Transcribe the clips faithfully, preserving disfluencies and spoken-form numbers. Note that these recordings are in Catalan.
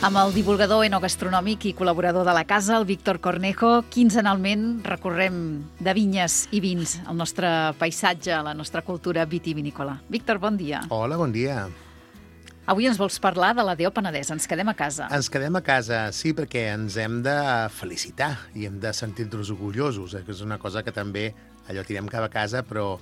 Amb el divulgador enogastronòmic i col·laborador de la casa, el Víctor Cornejo, quinzenalment recorrem de vinyes i vins el nostre paisatge, la nostra cultura vitivinícola. Víctor, bon dia. Hola, bon dia. Avui ens vols parlar de la D O Penedès. Ens quedem a casa. Ens quedem a casa, sí, perquè ens hem de felicitar i hem de sentir-nos orgullosos, eh? Que és una cosa que també allò tirem cap a casa, però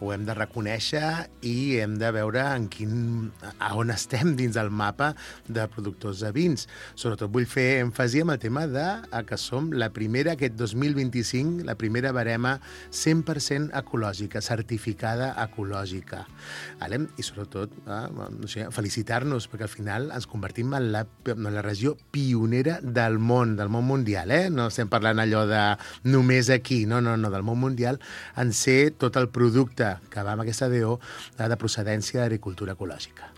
ho hem de reconèixer i hem de veure en quin, a on estem dins del mapa de productors de vins. Sobretot vull fer èmfasi amb el tema de que som la primera, aquest dos mil vint-i-cinc, la primera barema cent per cent ecològica, certificada ecològica. Vale? I sobretot, eh, no sé, felicitar-nos, perquè al final ens convertim en la, en la regió pionera del món, del món mundial. Eh? No estem parlant allò de només aquí, no, no, no, del món mundial, en ser tot el producte que va amb aquesta D O de procedència d'agricultura ecològica.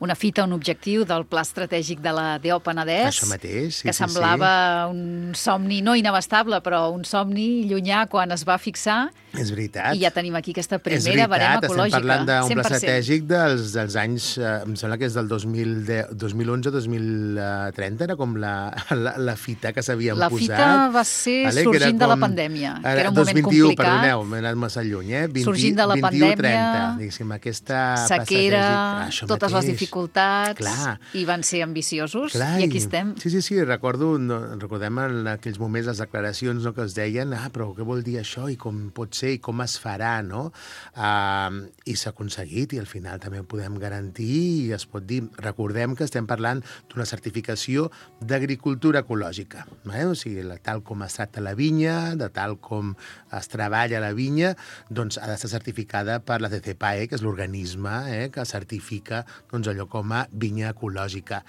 Una fita, un objectiu del Pla Estratègic de la D O Penedès. Això mateix, sí, que sí, semblava sí. un somni no inabastable, però un somni llunyà quan es va fixar. És veritat. I ja tenim aquí aquesta primera és veritat, barema ecològica. Estem parlant d'un cent per pla cent. estratègic dels, dels anys, eh, em sembla que és del dos mil onze dos mil trenta, era com la, la, la fita que s'havien la posat. La fita va ser vale? sorgint de la pandèmia, que era un moment complicat. Perdoneu, m'he anat massa lluny, eh? vint, sorgint de la pandèmia, trenta, diguéssim, aquesta sequera, ah, totes mateix. les dificultats, Clar. i van ser ambiciosos, Clar, i aquí estem. Sí, sí, sí, recordo, no, recordem en aquells moments les declaracions, no, que es deien, ah, però què vol dir això, i com pot ser, i com es farà, no? Uh, I s'ha aconseguit, i al final també ho podem garantir, i es pot dir, recordem que estem parlant d'una certificació d'agricultura ecològica, eh? O sigui, tal com es tracta la vinya, de tal com es treballa la vinya, doncs ha d'estar certificada per la C C P A E, que és l'organisme eh, que certifica doncs, allò com a vinya ecològica.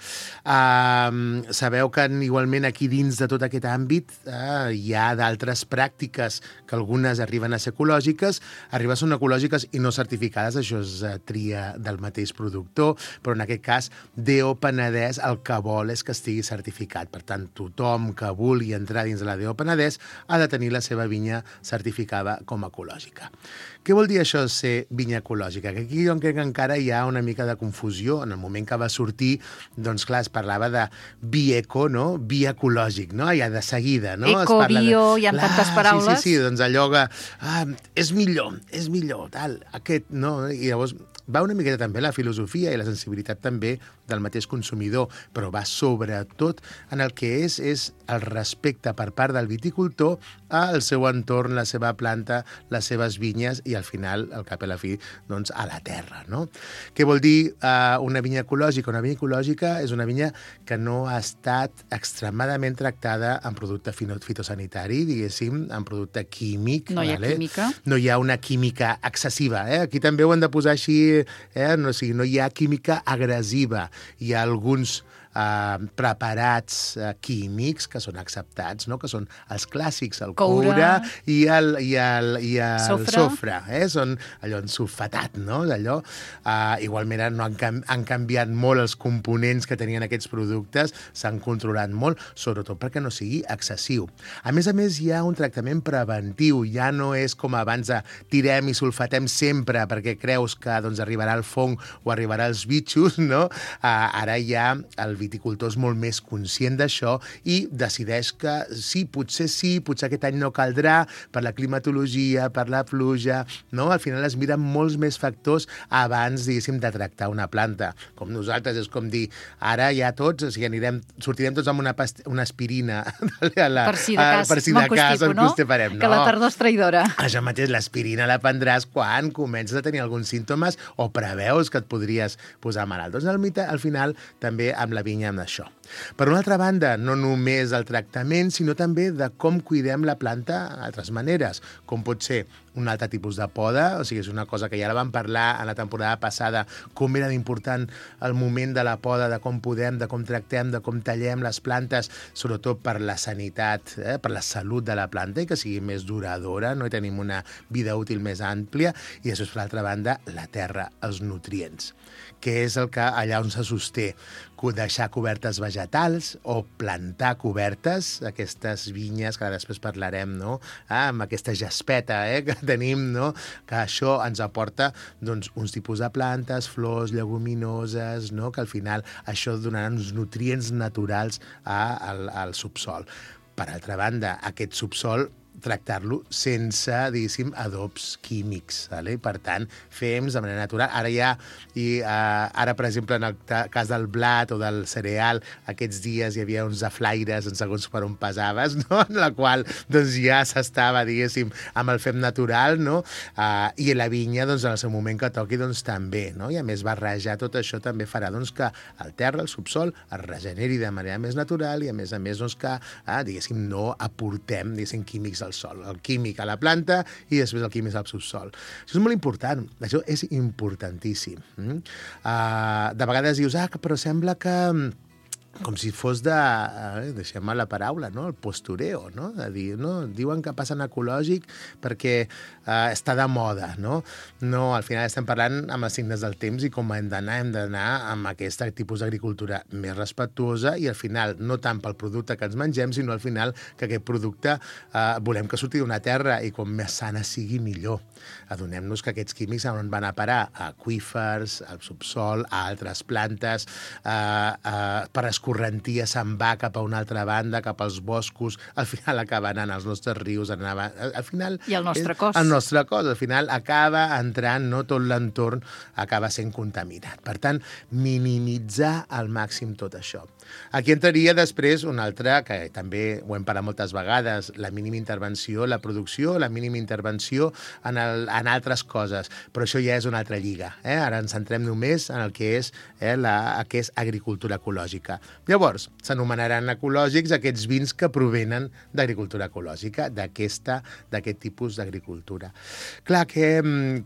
Uh, sabeu que igualment aquí dins de tot aquest àmbit uh, hi ha d'altres pràctiques que algunes arriben a ser ecològiques, arriben a ser ecològiques i no certificades, això és uh, tria del mateix productor, però en aquest cas D O Penedès el que vol és que estigui certificat. Per tant, tothom que vulgui entrar dins de la D O Penedès ha de tenir la seva vinya certificada com a ecològica. Què vol dir això de ser vinya ecològica? Que aquí jo crec que encara hi ha una mica de confusió. En el moment que va sortir, doncs clar, es parlava de bieco, no? Vi ecològic, no? Ja de seguida, no? Eco, bio, de... hi ha clar, tantes paraules. Sí, sí, sí, doncs allò que ah, és millor, és millor, tal, aquest, no? I llavors va una miqueta també la filosofia i la sensibilitat també del mateix consumidor, però va sobretot en el que és, és el respecte per part del viticultor al seu entorn, la seva planta, les seves vinyes i al final, al cap i a la fi, doncs a la terra, no? Què vol dir uh, una vinya ecològica? Una vinya ecològica és una vinya que no ha estat extremadament tractada en producte fitosanitari, diguéssim, en producte químic. No hi ha vale? química. No hi ha una química excessiva. Eh? Aquí també ho hem de posar així, eh? no, o sigui, no hi ha química agressiva. Hi ha alguns Uh, preparats uh, químics que són acceptats, no? Que són els clàssics, el coure, coure i el, i el, i el sofre, sofre eh? Són allò ensulfatat, no? Allò, uh, igualment no han, cam han canviat molt els components que tenien aquests productes, s'han controlat molt, sobretot perquè no sigui excessiu. A més a més, hi ha un tractament preventiu, ja no és com abans de tirem i sulfatem sempre perquè creus que doncs, arribarà el fong o arribarà els bitxos, no? Uh, ara hi ha el viticultor és molt més conscient d'això i decideix que sí, potser sí, potser aquest any no caldrà per la climatologia, per la pluja, no? Al final es miren molts més factors abans, diguéssim, de tractar una planta. Com nosaltres, és com dir, ara ja tots, o sigui, anirem, sortirem tots amb una, una aspirina a la, per si de cas, per si de cas, no? Farem, no? Que la tardor és traïdora. Això mateix, l'aspirina la prendràs quan comences a tenir alguns símptomes o preveus que et podries posar malalt. Doncs al, al final, també amb la vinya amb això. Per una altra banda, no només el tractament, sinó també de com cuidem la planta d'altres maneres, com pot ser un altre tipus de poda, o sigui, és una cosa que ja la vam parlar en la temporada passada, com era important el moment de la poda, de com podem, de com tractem, de com tallem les plantes, sobretot per la sanitat, eh, per la salut de la planta i que sigui més duradora, no? I tenim una vida útil més àmplia, i després, per l'altra banda, la terra, els nutrients, que és el que allà on se sosté, deixar cobertes vegetals vegetals o plantar cobertes, aquestes vinyes, que després parlarem, no? Ah, amb aquesta jaspeta eh, que tenim, no? Que això ens aporta doncs, uns tipus de plantes, flors, lleguminoses, no? Que al final això donarà uns nutrients naturals a, al, al subsol. Per altra banda, aquest subsol tractar-lo sense, diguéssim, adobs químics. Vale? Per tant, fem de manera natural. Ara ja, i, uh, ara, per exemple, en el cas del blat o del cereal, aquests dies hi havia uns aflaires en segons per on pesaves, no? En la qual doncs, ja s'estava, diguéssim, amb el fem natural, no? Uh, I la vinya, doncs, en el seu moment que toqui, doncs, també, no? I a més, barrejar tot això també farà doncs, que el terra, el subsol, es regeneri de manera més natural i, a més a més, doncs, que, uh, diguéssim, no aportem, diguéssim, químics al sol, el químic a la planta i després el químic al subsol. Això és molt important, això és importantíssim. Mm? Uh, de vegades dius, ah, però sembla que com si fos de, eh, deixem-me la paraula, no? El postureo, no? De dir, no? Diuen que passen ecològic perquè eh, està de moda, no? No, al final estem parlant amb els signes del temps i com hem d'anar, hem d'anar amb aquest tipus d'agricultura més respectuosa i al final, no tant pel producte que ens mengem, sinó al final que aquest producte eh, volem que surti d'una terra i com més sana sigui, millor. Adonem-nos que aquests químics on van a parar? A aqüífers, al subsol, a altres plantes, eh, eh, per escorrentia se'n va cap a una altra banda, cap als boscos, al final acaba anant als nostres rius, anava, al final... I el nostre cos. El nostre cos, al final acaba entrant, no tot l'entorn acaba sent contaminat. Per tant, minimitzar al màxim tot això. Aquí entraria després una altra, que també ho hem parlat moltes vegades, la mínima intervenció, la producció, la mínima intervenció en, el, en altres coses, però això ja és una altra lliga. Eh? Ara ens centrem només en el que és, eh, la, que és agricultura ecològica. Llavors, s'anomenaran ecològics aquests vins que provenen d'agricultura ecològica, d'aquesta, d'aquest tipus d'agricultura. Clar, què,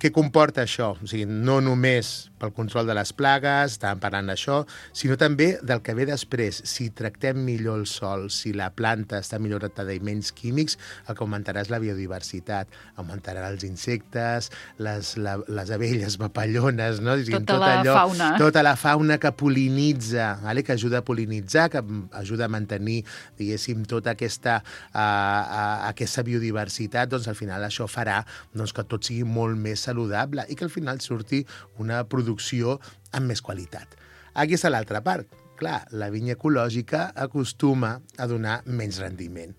què comporta això? O sigui, no només pel control de les plagues, estàvem parlant d'això, sinó també del que ve després. Si tractem millor el sòl, si la planta està millor tractada i menys químics, el que augmentarà és la biodiversitat. Augmentarà els insectes, les, la, les abelles papallones, no? Tota tot la allò, fauna. Tota la fauna que polinitza, vale? Que ajuda a polinitzar, que ajuda a mantenir, diguéssim, tota aquesta, uh, uh, aquesta biodiversitat, doncs al final això farà doncs, que tot sigui molt més saludable i que al final surti una producció amb més qualitat. Aquí està l'altra part. Clar, la vinya ecològica acostuma a donar menys rendiment.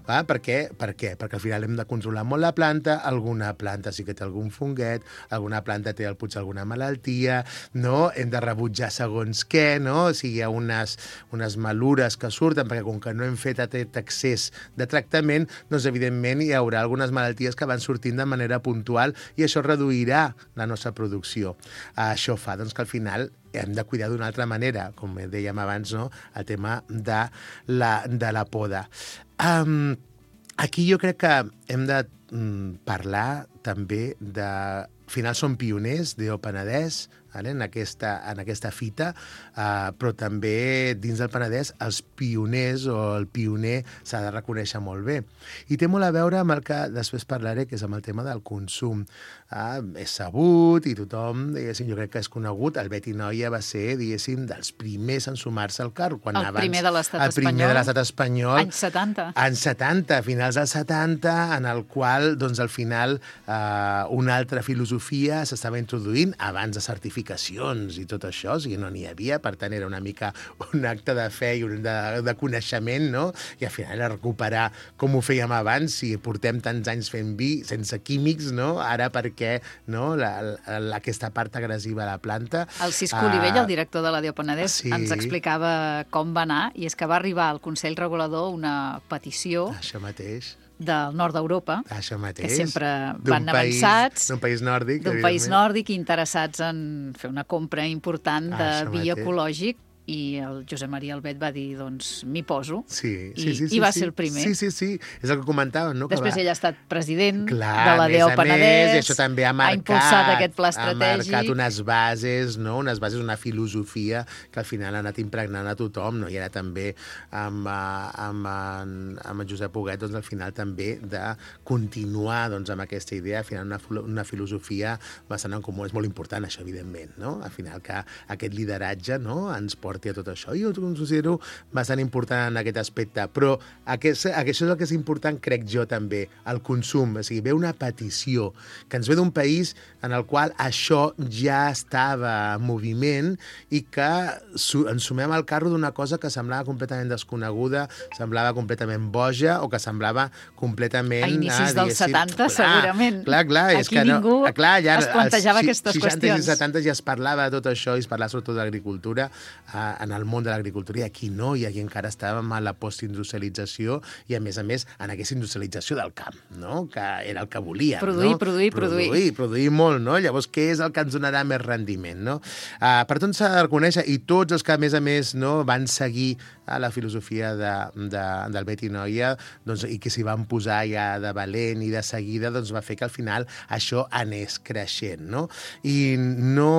Va? Per què? Per què? Perquè al final hem de controlar molt la planta, alguna planta sí que té algun funguet, alguna planta té potser alguna malaltia, no? Hem de rebutjar segons què, no? O sigui, hi ha unes, unes malures que surten, perquè com que no hem fet aquest excés de tractament, doncs evidentment hi haurà algunes malalties que van sortint de manera puntual i això reduirà la nostra producció. Això fa doncs, que al final hem de cuidar d'una altra manera, com dèiem abans, no? El tema de la, de la poda. Um, aquí jo crec que hem de um, parlar també de... Al final som pioners d'E O Penedès, vale? en, aquesta, en aquesta fita, uh, però també dins del Penedès els pioners o el pioner s'ha de reconèixer molt bé. I té molt a veure amb el que després parlaré, que és amb el tema del consum. Uh, és sabut i tothom, diguéssim, jo crec que és conegut. El Beti Noia va ser, diguéssim, dels primers en sumar-se al carro. Quan el abans, primer de l'estat espanyol. El primer de l'estat espanyol. Anys setanta. Anys setanta, finals dels setanta, en el qual, doncs, al final, uh, una altra filosofia s'estava introduint abans de certificacions i tot això, o sigui, no n'hi havia, per tant, era una mica un acte de fe i un de, de coneixement, no? I al final era recuperar com ho fèiem abans, si portem tants anys fent vi sense químics, no? Ara perquè no? la, la, aquesta part agressiva a la planta. El Cisco Olivell, uh, el director de la d'E O Penedès, sí. ens explicava com va anar, i és que va arribar al Consell Regulador una petició Això mateix. del nord d'Europa, Això mateix. que sempre D'un van país, avançats, d'un país nòrdic, d'un país nòrdic, interessats en fer una compra important de Això vi mateix. ecològic, i el Josep Maria Albet va dir, doncs, m'hi poso, sí, i, sí, sí, sí, i va sí. ser el primer. Sí, sí, sí, és el que comentàvem, no? Després que va... ell ha estat president Clar, de la d'E O a més a Penedès, més, i això també ha marcat, ha impulsat aquest pla estratègic. Ha marcat unes bases, no? unes bases, una filosofia que al final ha anat impregnant a tothom, no? I ara també amb, amb, amb, amb en Josep Huguet, doncs al final també de continuar doncs, amb aquesta idea, al final una, una filosofia bastant en comú. És molt important això, evidentment, no? Al final que aquest lideratge no? ens porta porti a tot això. Jo ho considero bastant important en aquest aspecte, però aquest, això és el que és important, crec jo també, el consum. O sigui, ve una petició que ens ve d'un país en el qual això ja estava en moviment i que ens sumem al carro d'una cosa que semblava completament desconeguda, semblava completament boja o que semblava completament... A inicis ah, dels setanta, segurament. Clar, clar. Aquí és que ningú no, clar, ja, es plantejava als aquestes seixanta qüestions. I setanta ja es parlava de tot això i es parlava sobretot d'agricultura eh, en el món de l'agricultura, i aquí no, i aquí encara estàvem a la postindustrialització i, a més a més, en aquesta industrialització del camp, no? Que era el que volíem. Produir, no? produir, produir. Produir, produir molt, no? Llavors, què és el que ens donarà més rendiment, no? Uh, per tant, s'ha de reconèixer, i tots els que, a més a més, no, van seguir a la filosofia de, de, del Betty Noia, doncs, i que s'hi van posar ja de valent i de seguida, doncs va fer que al final això anés creixent, no? I no...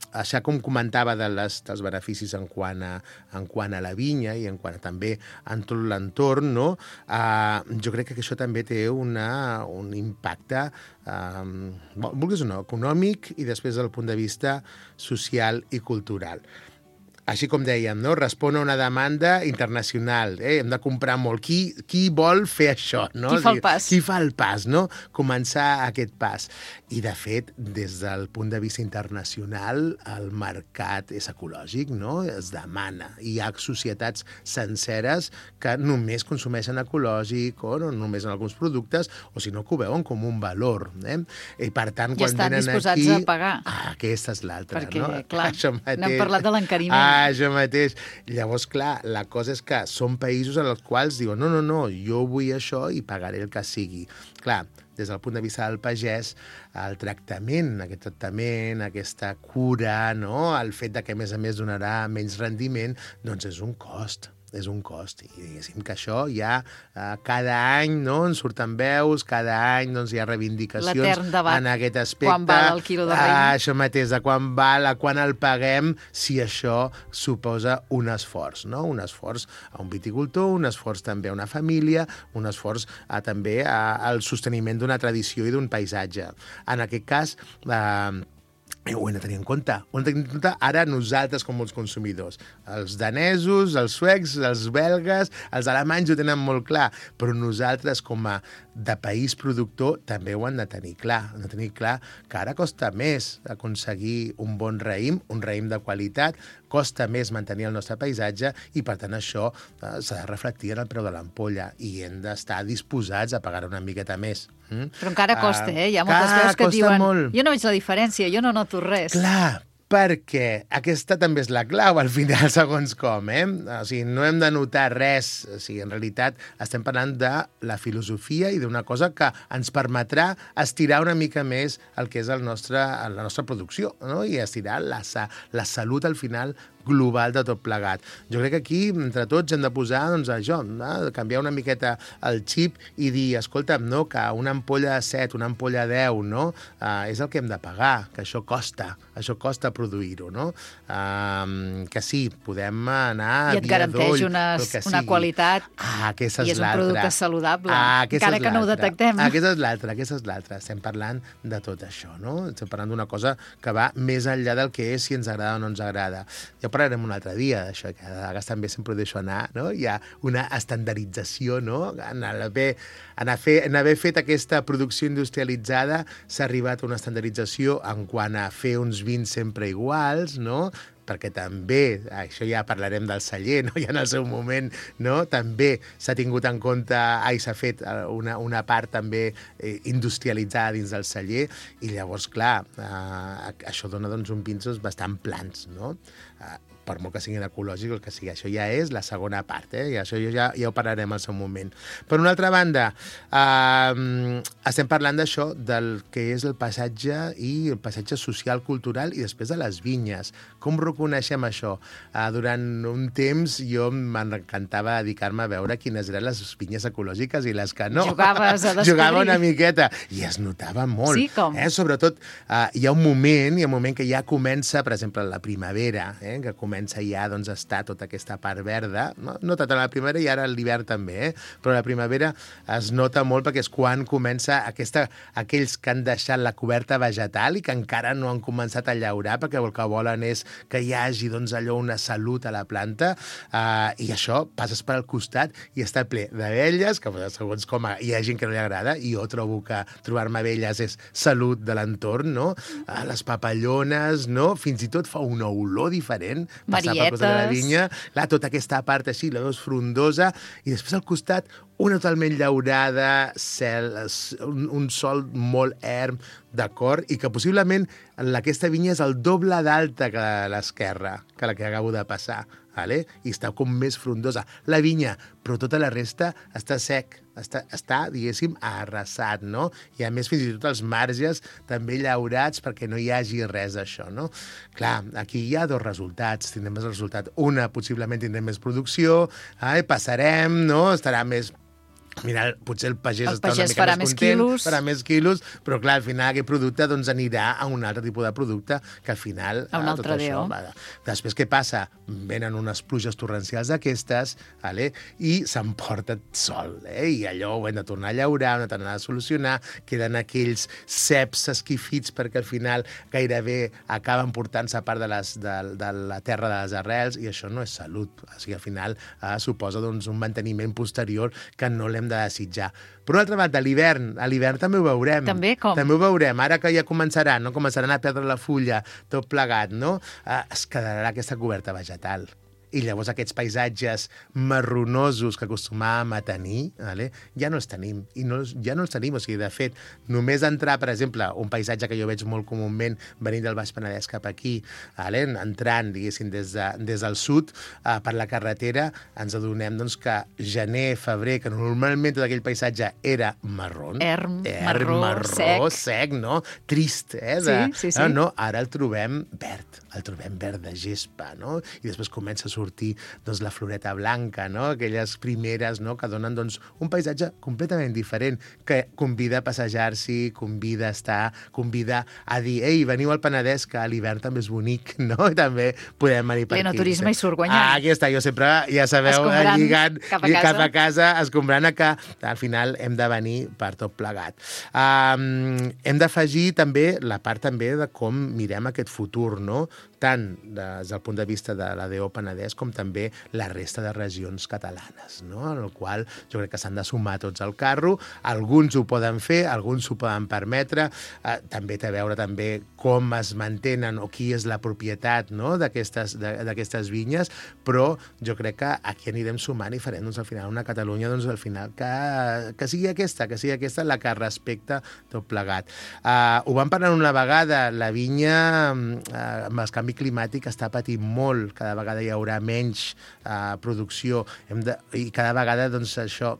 Això, com comentava, de les, dels beneficis en quant, a, en quant a la vinya i en quant a, també en tot l'entorn, no? Uh, jo crec que això també té una, un impacte um, vulguis o no, econòmic i després del punt de vista social i cultural. Així com dèiem, no? Respon a una demanda internacional. Eh? Hem de comprar molt. Qui, qui vol fer això? No? Qui fa el pas? Qui fa el pas, no? Començar aquest pas. I, de fet, des del punt de vista internacional, el mercat és ecològic, no? Es demana. Hi ha societats senceres que només consumeixen ecològic o no, només en alguns productes, o si no, que ho veuen com un valor. Eh? I, per tant, I quan estan venen disposats aquí... a pagar. Ah, aquesta és l'altra, perquè, no? clar, mateix... n'hem parlat de l'encariment. Ah, això mateix. Llavors, clar, la cosa és que són països en els quals diuen no, no, no, jo vull això i pagaré el que sigui. Clar, des del punt de vista del pagès, el tractament, aquest tractament, aquesta cura, no? El fet de que, a més a més, donarà menys rendiment, doncs és un cost. És un cost. I diguéssim que això ja eh, cada any, no, en surten veus, cada any doncs, hi ha reivindicacions l'etern debat, en aquest aspecte. quan val el quilo de raïm. Ah, això mateix, de quan val, a quan el paguem, si això suposa un esforç, no? Un esforç a un viticultor, un esforç també a una família, un esforç a, també a, al sosteniment d'una tradició i d'un paisatge. En aquest cas, eh, ho hem de tenir en compte. Ho hem de tenir en compte ara nosaltres com els consumidors. Els danesos, els suecs, els belgues, els alemanys ho tenen molt clar, però nosaltres com a de país productor també ho han de tenir clar. Han de tenir clar que ara costa més aconseguir un bon raïm, un raïm de qualitat, costa més mantenir el nostre paisatge i, per tant, això eh, s'ha de reflectir en el preu de l'ampolla i hem d'estar disposats a pagar una miqueta més. Mm? Però encara costa, eh? Hi ha moltes veus que et diuen molt. Jo no veig la diferència, jo no noto res. Clar, perquè aquesta també és la clau, al final, segons com, eh? O sigui, no hem de notar res. O sigui, en realitat, estem parlant de la filosofia i d'una cosa que ens permetrà estirar una mica més el que és el nostre, la nostra producció, no? I estirar la, la salut, al final, global de tot plegat. Jo crec que aquí, entre tots, hem de posar, doncs, això, no? Canviar una miqueta el xip i dir, escolta'm, no, que una ampolla de set, una ampolla de deu, no? Uh, és el que hem de pagar, que això costa, això costa produir-ho, no? Uh, que sí, podem anar I et garanteix unes, una qualitat ah, i és un producte saludable, ah, encara que no ho detectem. Ah, aquesta és l'altra, aquesta és l'altra. Estem parlant de tot això, no? Estem parlant d'una cosa que va més enllà del que és, si ens agrada o no ens agrada. Ja parlarem un altre dia d'això, que a vegades també sempre ho deixo anar, no? Hi ha una estandardització, no? En haver, en haver, en haver fet aquesta producció industrialitzada s'ha arribat a una estandardització en quant a fer uns vins sempre iguals, no? Perquè també, això ja parlarem del celler, no? Ja en el seu moment, no? També s'ha tingut en compte, ai, s'ha fet una, una part també eh, industrialitzada dins del celler, i llavors, clar, eh, això dona doncs, uns vins bastant plans, no? Eh, per molt que siguin ecològics, el que sigui. Això ja és la segona part, eh? I això ja, ja ho parlarem al seu moment. Per una altra banda, eh, estem parlant d'això, del que és el passatge i el passatge social, cultural, i després de les vinyes. Com reconeixem això? Eh, durant un temps jo m'encantava dedicar-me a veure quines eren les vinyes ecològiques i les que no. Jugaves a descobrir. Jugava una miqueta. I es notava molt. Sí, com? Eh? Sobretot, eh, hi ha un moment, hi ha un moment que ja comença, per exemple, la primavera, eh? Que comença comença ja doncs, a estar tota aquesta part verda, no, no tant a la primavera i ara a l'hivern també, eh? Però a la primavera es nota molt perquè és quan comença aquesta, aquells que han deixat la coberta vegetal i que encara no han començat a llaurar perquè el que volen és que hi hagi doncs, allò una salut a la planta, eh, i això passes per al costat i està ple d'abelles, que segons com hi ha gent que no li agrada, i jo trobo que trobar-me abelles és salut de l'entorn, no? Eh, les papallones, no? Fins i tot fa una olor diferent, passar per costat de la vinya, clar, tota aquesta part així, la veus frondosa, i després al costat una totalment llaurada, cel, un, un sol molt erm, d'acord, i que possiblement aquesta vinya és el doble d'alta que l'esquerra, que la que acabo de passar, vale? I està com més frondosa. La vinya, però tota la resta està sec, està, està diguéssim, arrasat, no? I a més, fins i tot els marges també llaurats perquè no hi hagi res d'això, no? Clar, aquí hi ha dos resultats. Tindrem més resultat. Una, possiblement tindrem més producció, eh? Passarem, no? Estarà més... Mira, potser el pagès, el està pagès una mica farà més més content, quilos. farà més quilos, però clar, al final aquest producte doncs, anirà a un altre tipus de producte que al final... A un eh, altre tot això, déu. va. Després què passa? Venen unes pluges torrencials d'aquestes, vale? I s'emporta sol, eh? I allò ho hem de tornar a llaurar, ho hem de tornar a solucionar, queden aquells ceps esquifits perquè al final gairebé acaben portant-se a part de, les, de, de la terra de les arrels, i això no és salut. O sigui, al final eh, suposa doncs, un manteniment posterior que no l'hem de desitjar. Per una altra banda, a l'hivern, a l'hivern també ho veurem. També com? També ho veurem. Ara que ja començaran, no? Començaran a perdre la fulla, tot plegat, no? Eh, es quedarà aquesta coberta vegetal. I llavors aquests paisatges marronosos que acostumàvem a tenir, vale? Ja no els tenim. I no, ja no els tenim. O sigui, de fet, només entrar, per exemple, un paisatge que jo veig molt comúment venint del Baix Penedès cap aquí, vale? Entrant, diguéssim, des, de, des del sud, eh, per la carretera, ens adonem doncs, que gener, febrer, que normalment tot aquell paisatge era marró, Erm, erm marró, marró, sec. sec, no? Trist, eh? De, Sí, sí, sí. Eh, no? Ara el trobem verd, el trobem verd de gespa, no? I després comença a sortir doncs, la floreta blanca, no? Aquelles primeres, no? Que donen doncs, un paisatge completament diferent, que convida a passejar-s'hi, convida a estar, convida a dir, ei, veniu al Penedès, que a l'hivern també és bonic, no? I també podem venir per aquí. L'enoturisme hi surt guanyant. Ah, aquí està, jo sempre, ja sabeu, Escombrant lligant cap a casa. cap a casa, escombrant a que al final hem de venir per tot plegat. Um, hem d'afegir també la part també de com mirem aquest futur, no? Tant des del punt de vista de l'A D O Penedès com també la resta de regions catalanes, no? En el qual jo crec que s'han de sumar tots al carro. Alguns ho poden fer, alguns s'ho poden permetre. Eh, també té a veure també com es mantenen o qui és la propietat, no? d'aquestes d'aquestes vinyes, però jo crec que aquí anirem sumant i farem doncs, al final una Catalunya doncs, al final que, que sigui aquesta, que sigui aquesta la que respecta tot plegat. Uh, ho vam parlar una vegada, la vinya uh, amb el canvi climàtic està patint molt, cada vegada hi haurà menys uh, producció Hem de, i cada vegada doncs, això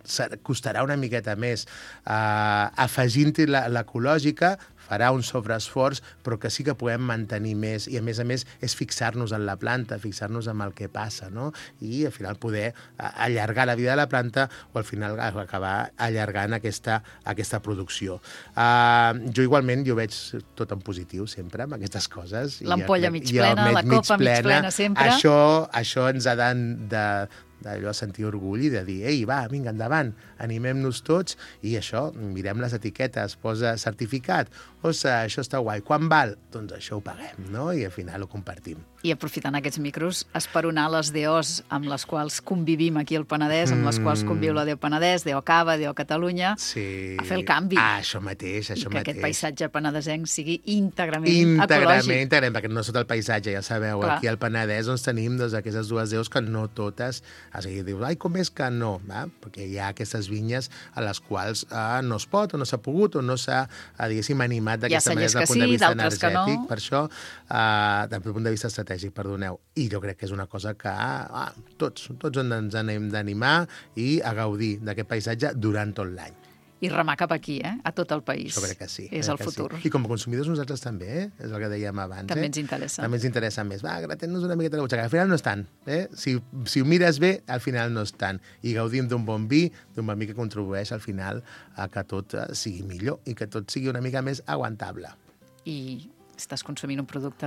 costarà una miqueta més. Uh, afegint-hi l'ecològica farà un sobreesforç, però que sí que podem mantenir més, i a més a més és fixar-nos en la planta, fixar-nos en el que passa, no? I al final poder allargar la vida de la planta o al final acabar allargant aquesta, aquesta producció. Uh, jo igualment, jo veig tot en positiu sempre amb aquestes coses. L'ampolla mig plena, la copa mig plena sempre. Això, això ens ha de, de d'allò sentir orgull i de dir, ei, va, vinga, endavant, animem-nos tots, i això, mirem les etiquetes, posa certificat, ostres, això està guai, quan val? Doncs això ho paguem, no? I al final ho compartim. I aprofitant aquests micros, esperonar les D Os amb les quals convivim aquí al Penedès, amb les quals conviu la D O Penedès, D O Cava, D O Catalunya, sí. a fer el canvi. Ah, això mateix, això I que mateix. aquest paisatge penedesenc sigui íntegrament, íntegrament ecològic. Íntegrament, perquè no és tot el paisatge, ja sabeu, Clar. aquí al Penedès doncs, tenim doncs, aquestes dues D Os que no totes, o sigui, dius, ai, com és que no? Va? Perquè hi ha aquestes vinyes a les quals eh, no es pot, o no s'ha pogut, o no s'ha, eh, diguéssim, animat d'aquesta manera des del punt de vista energètic. Per això, eh, des del punt de vista estratègic, perdoneu. I jo crec que és una cosa que ah, tots, tots ens hem d'animar i a gaudir d'aquest paisatge durant tot l'any. I remar cap aquí, eh? A tot el país. Jo crec que sí. És el futur. Sí. I com a consumidors nosaltres també, eh? És el que dèiem abans. També eh? ens interessa. També ens interessa més. Va, gratem-nos una miqueta la butxaca. Al final no és tant. Eh? Si, si ho mires bé, al final no és tant. I gaudim d'un bon vi, d'un bon vi que contribueix al final a que tot sigui millor i que tot sigui una mica més aguantable. I estàs consumint un producte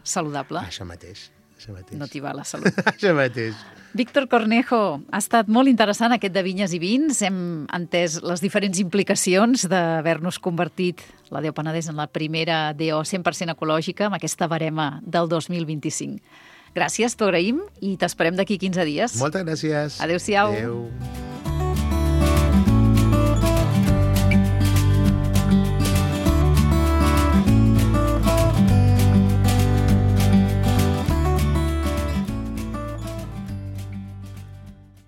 saludable. Això mateix. això mateix. No t'hi va la salut. Això mateix. Víctor Cornejo, ha estat molt interessant aquest de vinyes i vins. Hem entès les diferents implicacions d'haver-nos convertit la D O Penedès en la primera D O cent per cent ecològica amb aquesta barema del dos mil vint-i-cinc. Gràcies, t'ho agraïm i t'esperem d'aquí quinze dies. Moltes gràcies. Adéu-siau. Adéu.